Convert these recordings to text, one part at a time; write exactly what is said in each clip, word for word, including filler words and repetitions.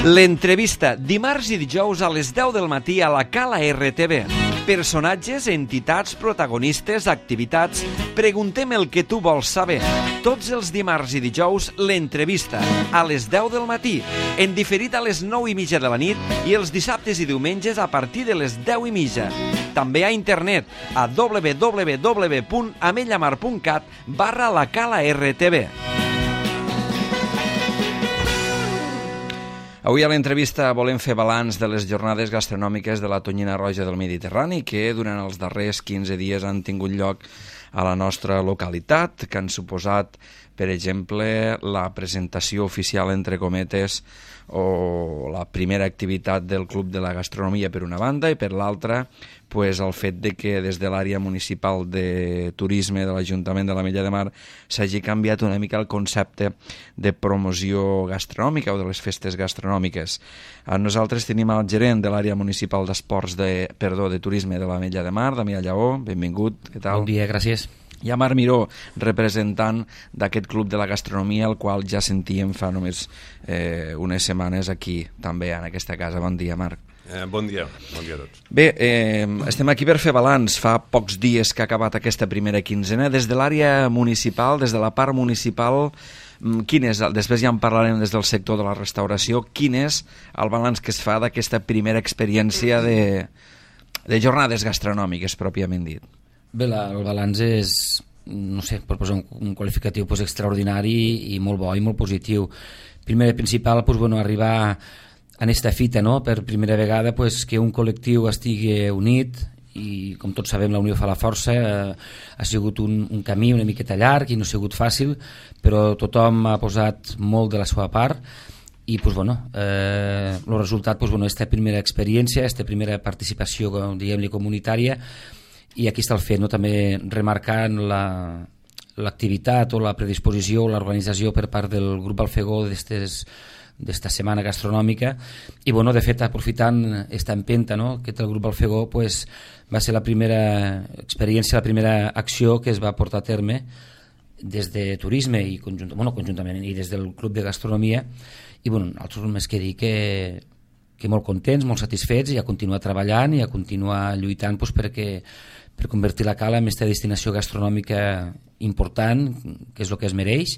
L'entrevista, dimarts i dijous a les deu del matí a la Cala R T V. Personatges, entitats, protagonistes, activitats... Preguntem el que tu vols saber. Tots els dimarts i dijous, l'entrevista, a les deu del matí, en diferit a les nou i mitja de la nit i els dissabtes i diumenges a partir de les deu i mitja. També a internet a w w w punt amellamar punt cat barra la Cala R T V. Avui a l'entrevista volem fer balanç de les jornades gastronòmiques de la Tonyina Roja del Mediterrani que durant els darrers quinze dies han tingut lloc a la nostra localitat, que han suposat, per exemple, la presentació oficial, entre cometes, o la primera activitat del Club de la Gastronomia per una banda i per l'altra pues, el fet de que des de l'àrea municipal de turisme de l'Ajuntament de l'Ametlla de Mar s'hagi canviat una mica el concepte de promoció gastronòmica o de les festes gastronòmiques. Nosaltres tenim el gerent de l'àrea municipal d'esports de, perdó, de turisme de l'Ametlla de Mar, Damià Lleó, benvingut, què tal? Bon dia, gràcies. I a Marc Miró, representant d'aquest Club de la Gastronomia, el qual ja sentíem fa només eh, unes setmanes aquí, també, en aquesta casa. Bon dia, Marc. Eh, bon dia, bon dia a tots. Bé, eh, estem aquí per fer balanç. Fa pocs dies que ha acabat aquesta primera quinzena. Des de l'àrea municipal, des de la part municipal, quin és, després ja en parlarem des del sector de la restauració, quin és el balanç que es fa d'aquesta primera experiència de, de jornades gastronòmiques, pròpiament dit? Bé, la, el balanç és, no sé, per posar un, un qualificatiu pues, extraordinari i molt bo i molt positiu. Primer i principal, pues, bueno, arribar en esta fita, no? Per primera vegada pues, que un col·lectiu estigui unit i, com tots sabem, la unió fa la força. Eh, ha sigut un, un camí una miqueta llarg i no ha sigut fàcil, però tothom ha posat molt de la seva part i pues, bueno, eh, el resultat, pues, bueno, esta primera experiència, esta primera participació, diguem-li, comunitària. I aquí està el fet, no? També remarcant la, l'activitat o la predisposició o l'organització per part del grup Alfegó d'esta setmana gastronòmica i bueno, de fet aprofitant aquesta empenta, no? Que té el grup Alfegó, pues, va ser la primera experiència, la primera acció que es va portar a terme des de turisme i conjunt, bueno, conjuntament i des del club de gastronomia i bueno, nosaltres només que dir que que molt contents, molt satisfets i a continuar treballant i a continuar lluitant pues, perquè, per convertir la Cala en aquesta destinació gastronòmica important, que és el que es mereix,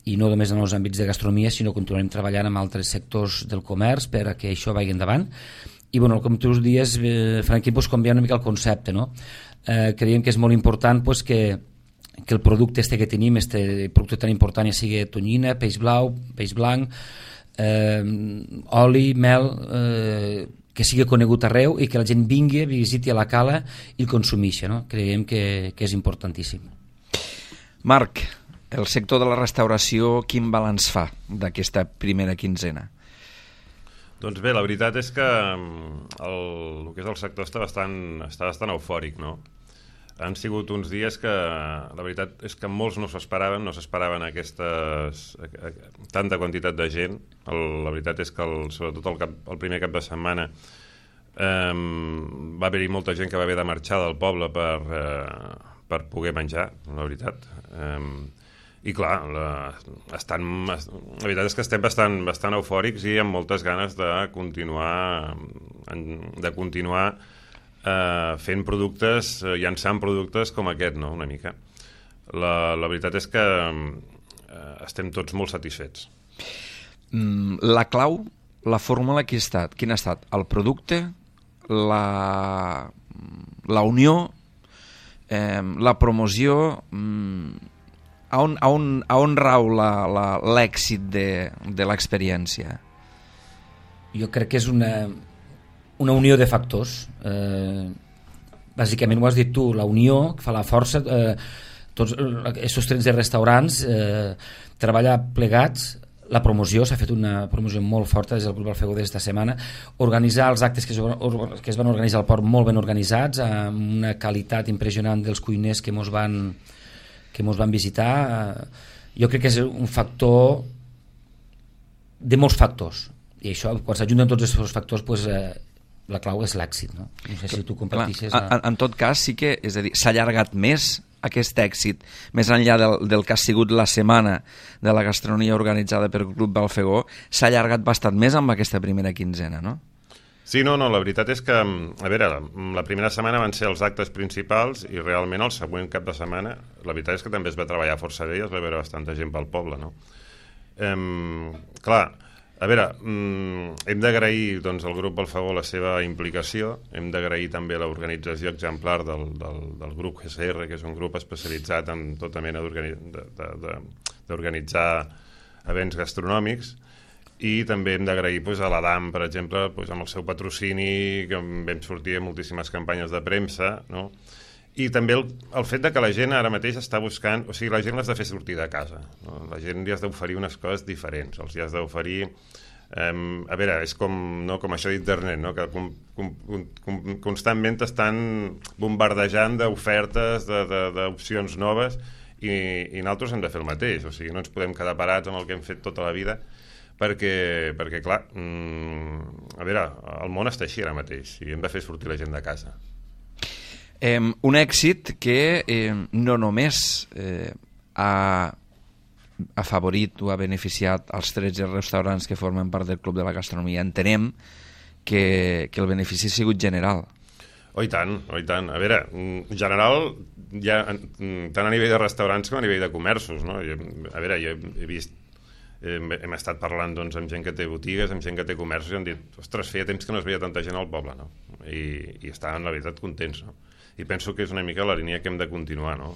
i no només en els àmbits de gastronomia, sinó continuarem treballant amb altres sectors del comerç per a que això vagi endavant. I bueno, com tu dius, eh, Franquín, pues, canviar una mica el concepte, no? Eh, creiem que és molt important pues, que, que el producte este que tenim, este producte tan important, ja sigui tonyina, peix blau, peix blanc, Eh, oli, mel, eh, que sigui conegut arreu i que la gent vingui, visiti a la Cala i el consumeixi, no? Creiem que, que és importantíssim. Marc, el sector de la restauració, quin balanç fa d'aquesta primera quinzena? Doncs bé, la veritat és que el, el que és el sector està bastant, està bastant eufòric, no? Han sigut uns dies que la veritat és que molts no s'esperaven, no s'esperaven aquestes, tanta quantitat de gent. El, la veritat és que el, sobretot el, cap, el primer cap de setmana eh, va haver-hi molta gent que va haver de marxar del poble per, eh, per poder menjar, la veritat. Eh, I clar, la, estan, la veritat és que estem bastant, bastant eufòrics i amb moltes ganes de continuar, de continuar Uh, fent productes, uh, llançant productes com aquest, no?, una mica. La, la veritat és que uh, estem tots molt satisfets. Mm, la clau, la fórmula, qui ha estat? Quin ha estat? El producte, la, la unió, eh, la promoció... Mm, a, on, a, on, a on rau l'èxit de, de l'experiència? Jo crec que és una... una unió de factors. Eh, bàsicament ho has dit tu, la unió que fa la força, eh, tots aquests trens de restaurants, eh, treballar plegats, la promoció, s'ha fet una promoció molt forta des del grup Alfegó d'esta setmana, organitzar els actes que es, que es van organitzar al port molt ben organitzats, amb una qualitat impressionant dels cuiners que mos van, que mos van visitar. Jo crec que és un factor de molts factors, i això, quan s'ajunten tots aquests factors, pues, eh, la clau és l'èxit, no? No sé si tu compartixes... En, en tot cas, sí que, és a dir, s'ha allargat més aquest èxit, més enllà del, del que ha sigut la setmana de la gastronomia organitzada per Club Balfegó, s'ha allargat bastant més amb aquesta primera quinzena, no? Sí, no, no, la veritat és que, a veure, la primera setmana van ser els actes principals i realment el següent cap de setmana, la veritat és que també es va treballar força bé i es va veure bastanta gent pel poble, no? Um, clar, a veure, um, hem d'agrair doncs, al grup Balfegó la seva implicació, hem d'agrair també l'organització exemplar del, del, del grup G S R, que és un grup especialitzat en tota mena d'organitzar events gastronòmics, i també hem d'agrair pues, a l'Adam, per exemple, pues, amb el seu patrocini, que vam sortir a moltíssimes campanyes de premsa, no? I també el, el fet de que la gent ara mateix està buscant... O sigui, la gent l'has de fer sortir de casa, no? La gent li has d'oferir unes coses diferents, els hi has d'oferir... Um, a veure, és com, no, com això d'internet, no? Que com, com, com, constantment estan bombardejant d'ofertes, d'opcions noves, i, i nosaltres hem de fer el mateix, o sigui, no ens podem quedar parats amb el que hem fet tota la vida, perquè, perquè clar, mmm, a veure, el món està així ara mateix i hem de fer sortir la gent de casa. Eh, un èxit que eh, no només eh, ha afavorit o ha beneficiat els tretze restaurants que formen part del Club de la Gastronomia. Entenem que, que el benefici ha sigut general. Oh, i tant, oh, i tant. A veure, en general, ja, tant a nivell de restaurants com a nivell de comerços, no? Jo, a veure, jo he vist Hem, hem estat parlant doncs, amb gent que té botigues, amb gent que té comerços, i han dit, ostres, feia temps que no es veia tanta gent al poble, no? I, i estaven, la veritat, contents, no? I penso que és una mica la línia que hem de continuar, no?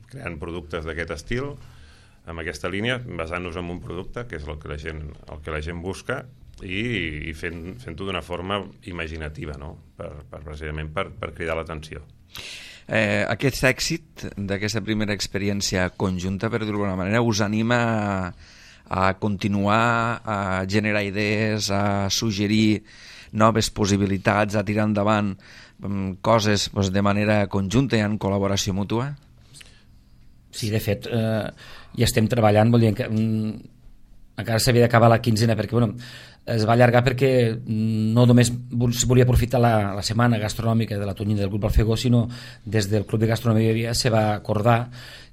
Creant productes d'aquest estil, amb aquesta línia, basant-nos en un producte, que és el que la gent, el que la gent busca, i, i fent, fent-ho d'una forma imaginativa, no? Per, per, precisament per, per cridar l'atenció. Eh, aquest èxit d'aquesta primera experiència conjunta, per dir-ho d'alguna manera, us anima a a continuar, a generar idees, a suggerir noves possibilitats, a tirar endavant um, coses pues, de manera conjunta i en col·laboració mútua? Sí, de fet, eh, ja estem treballant, vol dir que um, encara s'havia d'acabar la quinzena, perquè bueno, es va allargar perquè no només es volia aprofitar la, la setmana gastronòmica de la tonyina del Club Balfegó, sinó des del Club de Gastronomia se va acordar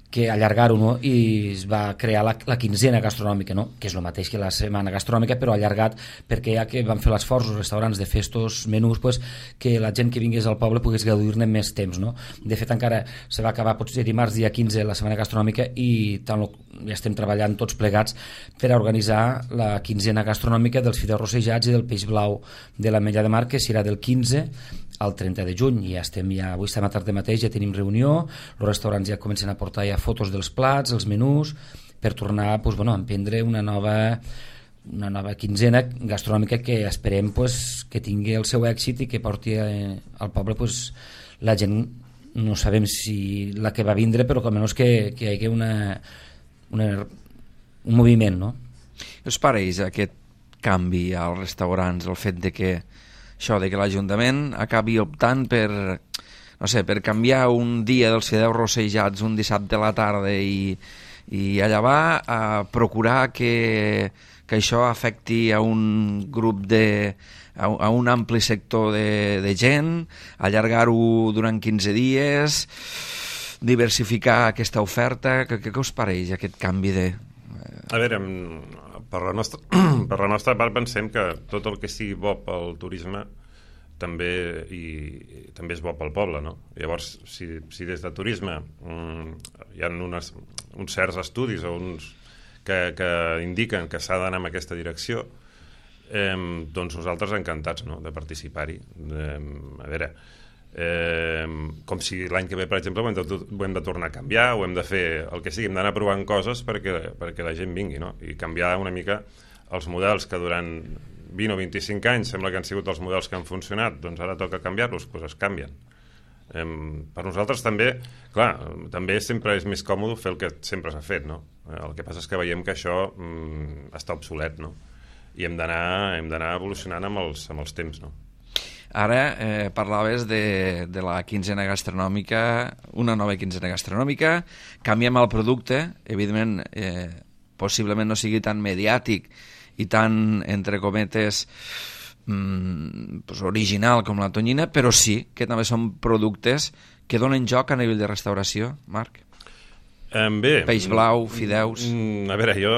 que allargar-ho, no? I es va crear la, la quinzena gastronòmica, no? Que és el mateix que la setmana gastronòmica, però allargat perquè ja que van fer l'esforç els restaurants de fer estos menús, pues, que la gent que vingués al poble pogués gaudir-ne més temps, no? De fet, encara se va acabar potser dimarts dia quinze la setmana gastronòmica i tant lo, ja estem treballant tots plegats per a organitzar la quinzena gastronòmica dels fideus rossejats i del peix blau de l'Ametlla de Mar, que serà del quinze al trenta de juny, i ja estem ja, avui estem a tarda mateix, ja tenim reunió, els restaurants ja comencen a portar ja fotos dels plats, els menús, per tornar pues, bueno, a emprendre una nova, una nova quinzena gastronòmica que esperem pues, que tingui el seu èxit i que porti eh, al poble pues, la gent, no sabem si la que va vindre, però almenys que, que hi hagi una, una, un moviment, no? Us pareix aquest canvi als restaurants, el fet de que això de que l'Ajuntament acabi optant per, no sé, per canviar un dia dels fideus rossejats un dissabte a la tarda i, i allà va a procurar que, que això afecti a un grup de... a, a un ampli sector de, de gent, allargar-ho durant quinze dies, diversificar aquesta oferta. Què, què us pareix aquest canvi de... A veure, per la nostra, per la nostra part pensem que tot el que sigui bo pel turisme també, i, i també és bo pel poble, no? Llavors, si, si des de turisme um, hi ha unes, uns certs estudis o uns que, que indiquen que s'ha d'anar en aquesta direcció, eh, doncs nosaltres encantats, no?, de participar-hi. Eh, a veure, eh, com si l'any que ve, per exemple, ho hem, de, ho hem de tornar a canviar, o hem de fer el que sigui, hem d'anar provant coses perquè, perquè la gent vingui, no? I canviar una mica els models que durant vint o vint-i-cinc anys sembla que han sigut els models que han funcionat, doncs ara toca canviar-los, doncs es canvien. Eh, per nosaltres també, clar, també sempre és més còmode fer el que sempre s'ha fet, no? El que passa és que veiem que això mm, està obsolet, no? I hem d'anar hem d'anar evolucionant amb els, amb els temps, no? Ara eh, parlaves de, de la quinzena gastronòmica, una nova quinzena gastronòmica, canviem el producte, evidentment eh, possiblement no sigui tan mediàtic i tan, entre cometes, mm, pues, original com la tonyina, però sí que també són productes que donen joc a nivell de restauració, Marc. Um, bé, Peix blau, fideus... Mm, a veure, jo,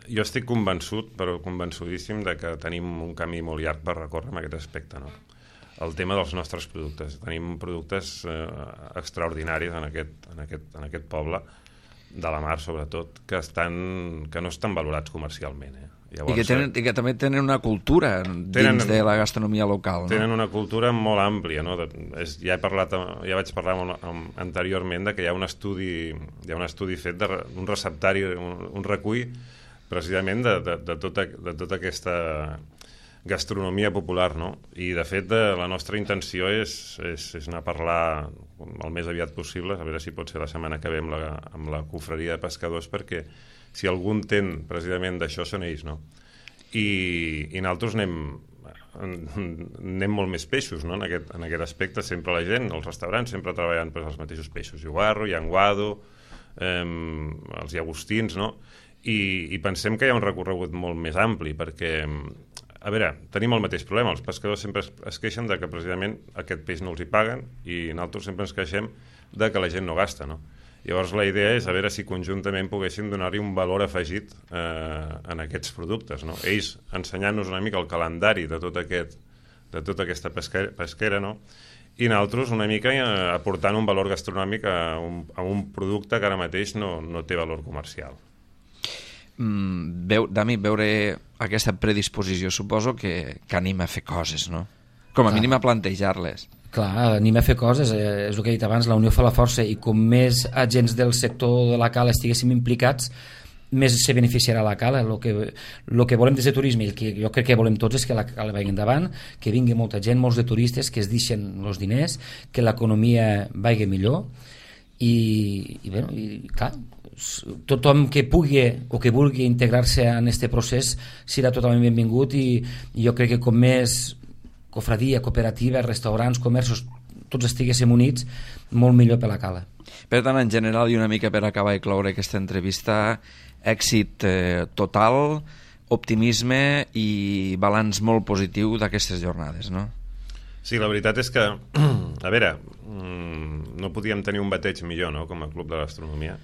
jo estic convençut, però convençudíssim, de que tenim un camí molt llarg per recórrer en aquest aspecte, no? El tema dels nostres productes. Tenim productes eh, extraordinaris en aquest, en, aquest, en aquest poble, de la mar sobretot, que, estan, que no estan valorats comercialment. Eh? Llavors, I, que tenen, I que també tenen una cultura dins tenen, de la gastronomia local. No? Tenen una cultura molt àmplia. No? De, és, ja, he parlat, ja vaig parlar amb, amb, anteriorment de que hi ha un estudi, hi ha un estudi fet d'un receptari, un, un recull precisament de, de, de, tota, de tota aquesta gastronomia popular, no? I de fet de, la nostra intenció és, és, és anar a parlar el més aviat possible, a veure si pot ser la setmana que ve amb la, amb la confraria de pescadors, perquè si algú entén precisament d'això són ells, no? I, i nosaltres anem, anem molt més peixos, no? En aquest, en aquest aspecte sempre la gent, els restaurants sempre treballen per els mateixos peixos, iogarro, llenguado, eh, els llagostins, no? I, i pensem que hi ha un recorregut molt més ampli, perquè a veure, tenim el mateix problema. Els pescadors sempre es, es queixen de que precisament aquest peix no els hi paguen i nosaltres sempre ens queixem de que la gent no gasta, no? Llavors la idea és a veure si conjuntament poguéssim donar-hi un valor afegit eh, en aquests productes, no? Ells ensenyant-nos una mica el calendari de tot aquest, de tota aquesta pesquera, pesquera, no? I nosaltres una mica eh, aportant un valor gastronòmic a un, a un producte que ara mateix no, no té valor comercial. Mm, veu, Dami, veure aquesta predisposició suposo que, que anima a fer coses, no? Com a Clar. mínim a plantejar-les. Clar, anima a fer coses, eh, és el que he dit abans, la unió fa la força, i com més agents del sector de la cala estiguéssim implicats, més se beneficiarà la cala. El que, el que volem des de turisme, i el que jo crec que volem tots, és que la cala vagi endavant, que vingui molta gent, molts de turistes, que es deixen els diners, que l'economia vagi millor, i, i, bueno, i clar, tothom que pugui o que vulgui integrar-se en aquest procés serà totalment benvingut, i, i jo crec que com més cofradia, cooperativa, restaurants, comerços, tots estiguéssim units, molt millor per la cala. Per tant, en general, i una mica per acabar i cloure aquesta entrevista, èxit eh, total, optimisme i balanç molt positiu d'aquestes jornades, no? Sí, la veritat és que, a veure, no podíem tenir un bateig millor, no?, com a Club de Gastronomia.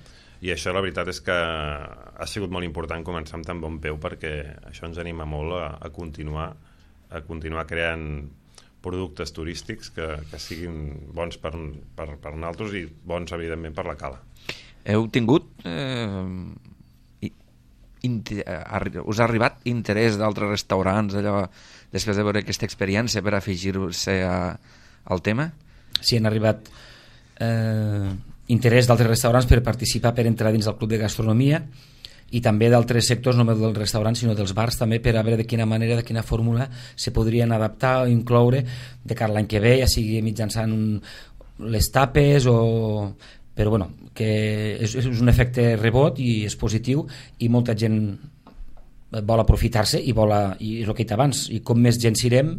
I això la veritat és que ha sigut molt important començar amb tan bon peu, perquè això ens anima molt a, a continuar a continuar creant productes turístics que, que siguin bons per, per, per nosaltres i bons, evidentment, per la cala. Heu tingut... Eh, inter, us ha arribat interès d'altres restaurants allò, després de veure aquesta experiència per afegir-se al tema? Sí, han arribat... Eh, interès d'altres restaurants per participar, per entrar dins del Club de Gastronomia, i també d'altres sectors, no només dels restaurants sinó dels bars també, per a veure de quina manera, de quina fórmula se podrien adaptar o incloure de cara a l'any que ve, ja sigui mitjançant un, les tapes o... però bueno, que és, és un efecte rebot i és positiu, i molta gent vol aprofitar-se i vol, a, i és el que he dit abans, i com més gent sirem,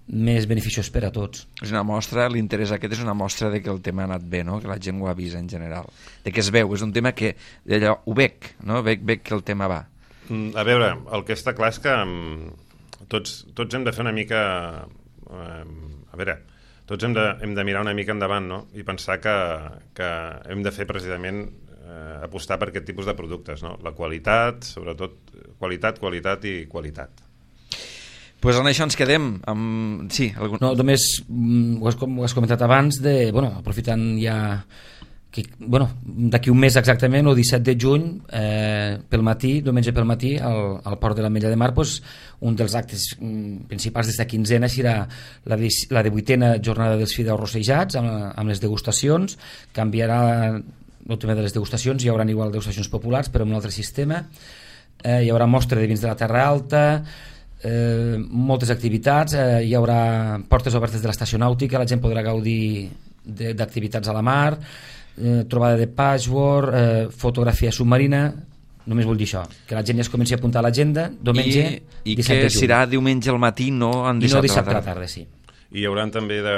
més beneficiós per a tots. És una mostra, l'interès aquest és una mostra de que el tema ha anat bé, no? Que la gent ho ha vist en general, de que es veu, és un tema que allò, ho veig, no? veig, veig que el tema va. A veure, el que està clar és que um, tots, tots hem de fer una mica um, a veure, tots hem de, hem de mirar una mica endavant, no? I pensar que, que hem de fer precisament eh, apostar per aquest tipus de productes, no? La qualitat, sobretot qualitat, qualitat i qualitat. Pues en això ens quedem amb... Sí, algun... No, només ho has, ho has comentat abans de, bueno, aprofitant ja que, bueno, d'aquí un mes exactament, el disset de juny, eh, pel matí, diumenge pel matí, al, al Port de l'Ametlla de Mar, pues, un dels actes principals d'esta quinzena serà la, la divuitena jornada dels fideus rossejats, amb, amb les degustacions. Canviarà el tema de les degustacions, hi haurà igual degustacions populars, però amb un altre sistema. Eh, hi haurà mostra de vins de la Terra Alta, Eh, moltes activitats, eh, hi haurà portes obertes de l'estació nàutica, la gent podrà gaudir d'activitats a la mar, eh, trobada de patchwork, eh, fotografia submarina. Només vull dir això, que la gent ja es comenci a apuntar a l'agenda diumenge, i, i que serà diumenge al matí, no en dissabte, i no dissabte a la tarda, sí. I hi haurà també, de,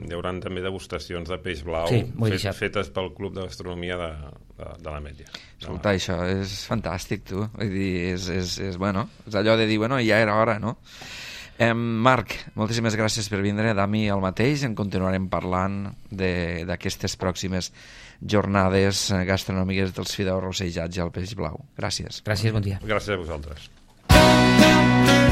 hi haurà també degustacions de peix blau, sí, fet, fetes pel Club de Gastronomia de, de, de l'Ametlla. Escolta, això és fantàstic, tu. Vull dir, és, és, és, bueno, és allò de dir, bueno, ja era hora, no? Eh, Marc, moltíssimes gràcies per vindre. Dami, el mateix. En continuarem parlant d'aquestes pròximes jornades gastronòmiques dels fideus rossejats i el peix blau. Gràcies. Gràcies, bon dia. Gràcies a vosaltres.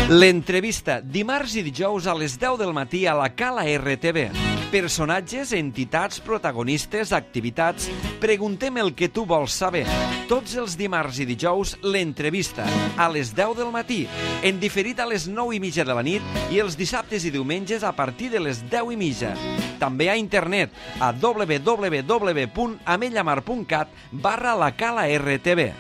L'entrevista, dimarts i dijous a les deu del matí a la Cala R T V. Personatges, entitats, protagonistes, activitats... Preguntem el que tu vols saber. Tots els dimarts i dijous, l'entrevista, a les deu del matí, en diferit a les nou i mitja de la nit i els dissabtes i diumenges a partir de les deu i mitja. També a internet, a w w w punt amellamar punt cat barra la Cala R T V.